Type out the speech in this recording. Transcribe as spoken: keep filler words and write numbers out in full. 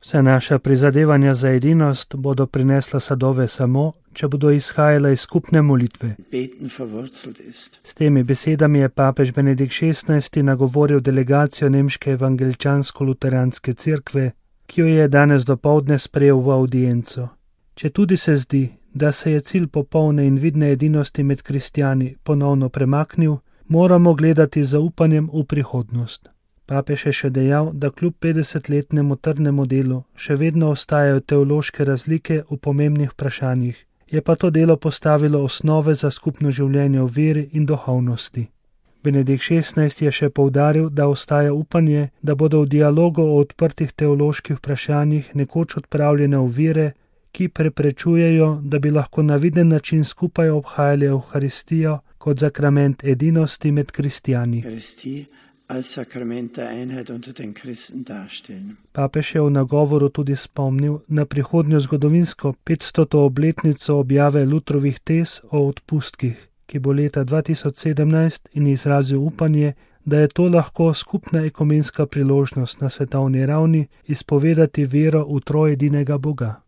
Vse naša prizadevanja za edinost bodo prinesla sadove samo, če bodo izhajala iz skupne molitve. S temi besedami je papež Benedikt šestnajsti nagovoril delegacijo nemške evangeličansko-luteranske cerkve, ki jo je danes dopoldne sprejel v avdienco. Četudi se zdi, da se je cilj popolne in vidne edinosti med kristjani ponovno premaknil, moramo gledati z zaupanjem v prihodnost. Papež je še dejal, da kljub petdesetletnemu trdnemu delu še vedno ostajajo teološke razlike v pomembnih vprašanjih, je pa to delo postavilo osnove za skupno življenje v veri in duhovnosti. Benedikt šestnajsti je še poudaril, da ostaja upanje, da bodo v dialogu o odprtih teoloških vprašanjih nekoč odpravljene ovire, ki preprečujejo, da bi lahko na viden način skupaj obhajali Evharistijo kot sakrament edinosti med kristjani. Papež je v nagovoru tudi spomnil na prihodnjo zgodovinsko petstoto obletnico objave Lutrovih tez o odpustkih, ki bo leta dva tisoč sedemnajst, in izrazil upanje, da je to lahko skupna ekumenska priložnost na svetovni ravni izpovedati vero v trojedinega Boga.